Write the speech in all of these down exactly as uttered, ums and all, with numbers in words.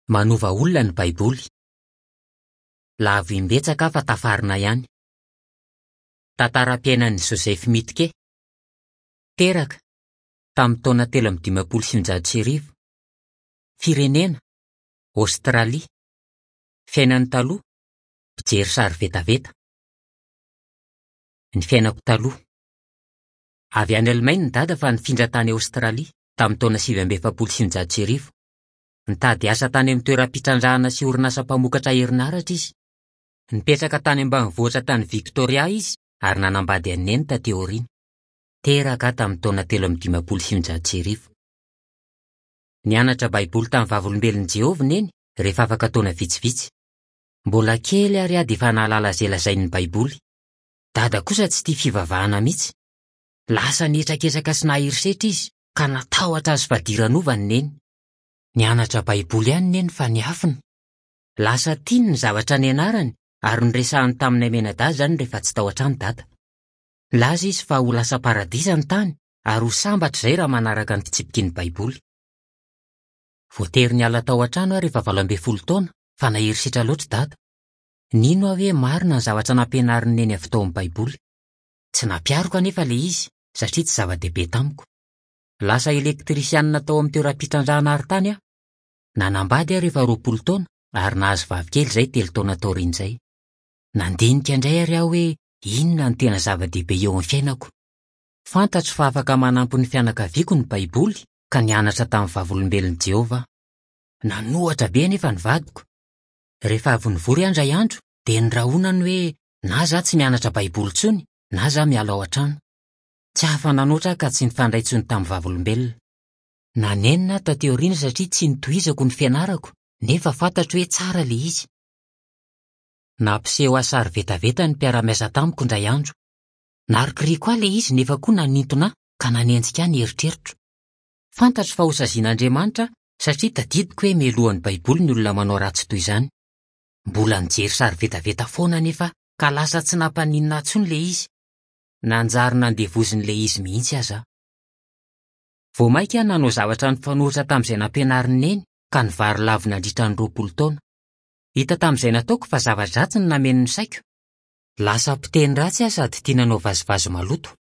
Manova olona ny Baiboly. Lavo imbetsaka fa tafarina ihany. Tantaram-piainan'i Joseph Mitke. Teraka tamin'ny taona telo amby dimampolo sy sivinjato sy arivo. Firenena Aostralia. Fiainany taloha mpijery sary vetaveta. Ny fiainako taloha. Avy any Alemaina ny dada fa nifindra tany Aostralia tamin'ny taona sivy amby efapolo sy sivinjato sy arivo. Nitady asa tany amin'ny toeram-pitrandrahana sy orinasa mpamokatra herinaratra izy. Nipetraka tany ambanivohitra tany Victoria izy ary nanambady an'i Neny taty aoriana. Teraka tamin'ny taona telo amby dimampolo sy sivinjato sy arivo. Nianatra Baiboly tamin'ny Vavolombelon'i Jehovah Neny rehefa afaka taona vitsivitsy. Mbola kely ary aho dia efa nahalala izay lazain'ny Baiboly. Dada kosa tsy tia fivavahana mihitsy. Lasa nihetraketraka sy nahery setra izy ka natahotra azy fadiranovana Neny. Nianatra Baiboly ihany Neny fa niafina. Lasa tiany ny zavatra nianarany ary noresahany taminay mianadahy izany rehefa tsy tao an-trano dada. Nilaza izy fa ho lasa paradisa ny tany ary ho sambatra izay raha manaraka ny fitsipiky ny Baiboly. Voatery niala tao an-trano aho rehefa valo ambin'ny folo taona fa nahery setra loatra dada. Nino aho hoe marina ny zavatra nampianarin'i Neny avy tao amin'ny Baiboly. Tsy nampihariko anefa ilay izy satria tsy zava-dehibe tamiko. Lasa elektrisianina tao amin'ny toeram-pitrandrahana arintany aho. Nanambady aho rehefa roapolo taona ary nahazo vavikely izay telo taona taorian'izay. Nandinika indray ary aho hoe inona no tena zava-dehibe eo amin'ny fiainako. Fantatro fa afaka manampy ny fianakaviako ny Baiboly ka nianatra tamin'ny Vavolombelon'i Jehovah aho. Nanohatra be anefa ny vadiko. Rehefa avy nivory aho indray andro dia nirahonany hoe na izaho tsy mianatra Baiboly intsony na izaho miala ao an-trano. Tsy afa-nanoatra aho ka tsy nifandray intsony tamin'ny Vavolombelona. Nanenina aho taty aoriana satria tsy nitohizako ny fianarako nefa fantatro hoe tsara ilay izy. Nampiseho ahy sary vetaveta ny mpiara-miasa tamiko indray andro. Narikoriko ahy ilay izy nefa koa nanintona ahy ka nanenjika ahy ny eritreritro. Fantatro fa hosazian'Andriamanitra satria tadidiko hoe melohan'ny Baiboly ny olona manao ratsy toy izany. Mbola nijery sary vetaveta foana anefa ka lasa tsy nampaninona ahy intsony ilay izy. Nanjary nandevozin'ilay izy mihitsy aza aho. Vao mainka aho nanao zavatra nifanohitra tamin'izay nampianarin'i Neny ka nivarilavo nandritra ny roapolo taona. Hita tamin'izay nataoko fa zava-dratsy no nameno ny saiko. Lasa mpiteny ratsy aho sady tia nanao vazivazy maloto.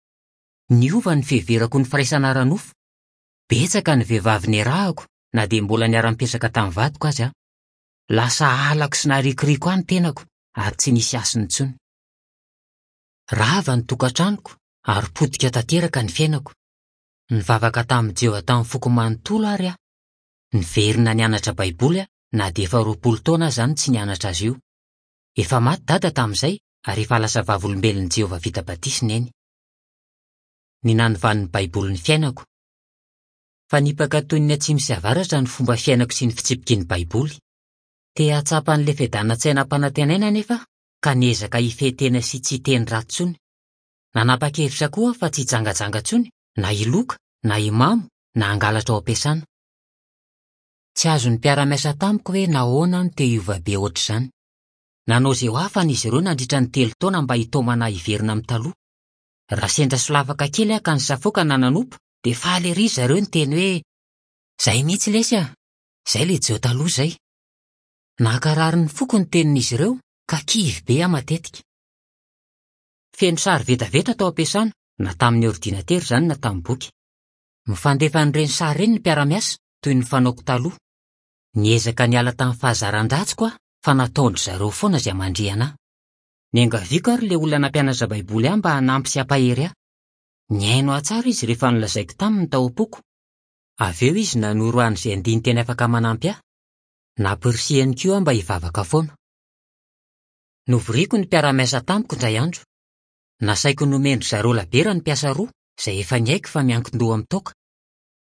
Niova ny fiheverako ny firaisana ara-nofo. Betsaka ny vehivavy niarahako na dia mbola niara-nipetraka tamin'ny vadiko aza aho. Lasa halako sy narikoriko ahy ny tenako ary tsy nisy hasiny intsony. Rava ny tokantranoko ary potika tanteraka ny fiainako. Nivavaka tamin'i Jehovah tamin'ny foko manontolo ary aho. Niverina nianatra Baiboly aho na dia efa roapolo taona aza no tsy nianatra azy io. Efa maty dada tamin'izay ary efa lasa Vavolombelon'i Jehovah vita batisa Neny. Ny nanovan'ny Baiboly ny fiainako. Fanipaka toy ny atsimo sy avaratra ny fomba fiainako sy ny fitsipiky ny Baiboly. Te hahatsapa an'ilay fiadanan-tsaina ampanantenaina anefa ka niezaka hifehy tena sy tsy hiteny ratsy intsony. Nanapa-kevitra koa aho fa tsy hijangajanga intsony na hiloka na himamo na hangalatra ao am-piasana. Tsy azon'ny mpiara-miasa tamiko hoe nahoana aho no te hiova be ohatr'izany. Nanao izay ho afany izy ireo nandritra ny telo taona mba hitaomana ahy hiverina amin'ny taloha. Raha sendra solafaka kely aho ka nisafoaka na nanompo dia faly ery zareo niteny hoe "Izay mihitsy lesy ah, izay ilay Jeho taloha izay." Nankarary ny foko ny tenin'izy ireo ka kivy be aho matetika. Feno sary vetaveta tao am-piasana na tamin'ny ordinatera izany na tamin'ny boky. Mifandefa an'ireny sary ireny ny mpiara-miasa toy ny fanaoko taloha. Niezaka niala tamin'ny fahazaran-dratsiko aho fa nataon-dry zareo foana izay mandrihana ahy. Niangaviako ary ilay olona nampianatra Baiboly ahy mba hanampy sy hampahery ahy. Nihaino ahy tsara izy rehefa nolazaiko taminy tao am-poko. Avy eo izy nanoro ahy an'izay andinin-teny afaka manampy ahy. Nampirisihany koa aho mba hivavaka foana. Novoriko ny mpiara-miasa tamiko indray andro. Nasaiko nomen-dry zareo labiera ny mpiasa roa izay efa niaiky fa miankin-doha amin'ny toaka.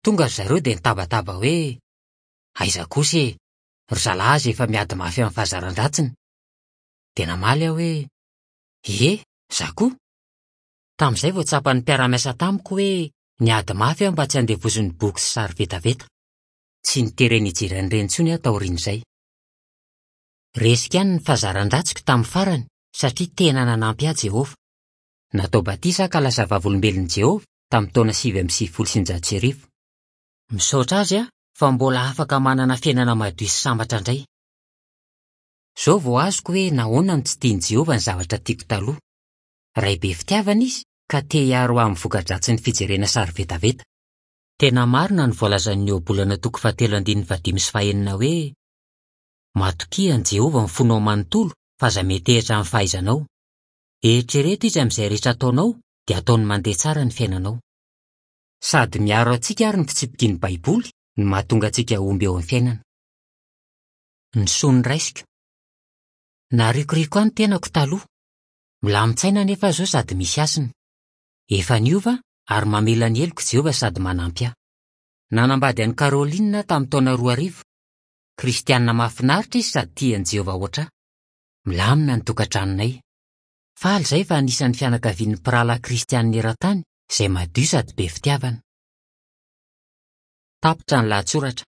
Tonga ry zareo dia nitabataba hoe "Aiza kosa e, ry zalahy aza efa miady mafy amin'ny fahazaran-dratsiny." Dia namaly aho hoe "Ie, izaho koa." Tamin'izay vao tsapan'ny mpiara-miasa tamiko hoe niady mafy aho mba tsy handevozin'ny boky sy sary vetaveta. Tsy niterena hijery an'ireny intsony aho taorian'izay. Resiko ihany ny fahazaran-dratsiko tamin'ny farany satria tena nanampy ahy Jehovah. Natao batisa aho ka lasa Vavolombelon'i Jehovah tamin'ny taona sivy amby sivifolo sy sivinjato sy arivo. Misaotra azy aho fa mbola afaka manana fiainana madio sy sambatra indray. Izao vao azoko hoe nahoana no tsy tian'i Jehovah ny zavatra tiako taloha. Ray be fitiavana izy ka te hiaro ahy amin'ny voka-dratsin'ny fijerena sary vetaveta. Tena marina ny voalazan'ny Ohabolana toko fahatelo andininy fahadimy sy fahenina hoe: Matokia an'i Jehovah ny fonao manontolo fa aza metehitra amin'ny fahaizanao. Eritrereto izy amin'izay rehetra ataonao dia ataony mandeha tsara ny fiainanao. Sady miaro antsika ary ny fitsipiky ny Baiboly no mahatonga antsika hahomby eo amin'ny fiainana. Ny soa noraisiko. Narikoriko ahy ny tenako taloha. Milamin-tsaina anefa aho izao sady misy hasina. Efa niova ary mamela ny heloko Jehovah sady manampy ahy. Nanambady an'i Caroline aho tamin'ny taona roa arivo. Kristianina mahafinaritra izy sady tia an'i Jehovah hoatr'ahy. Milamina ny tokantranonay. Faly izahay fa anisan'ny fianakavian'ny mpirahalahy kristianina eran-tany izay madio sady be fitiavana. Tapitra ny lahatsoratra.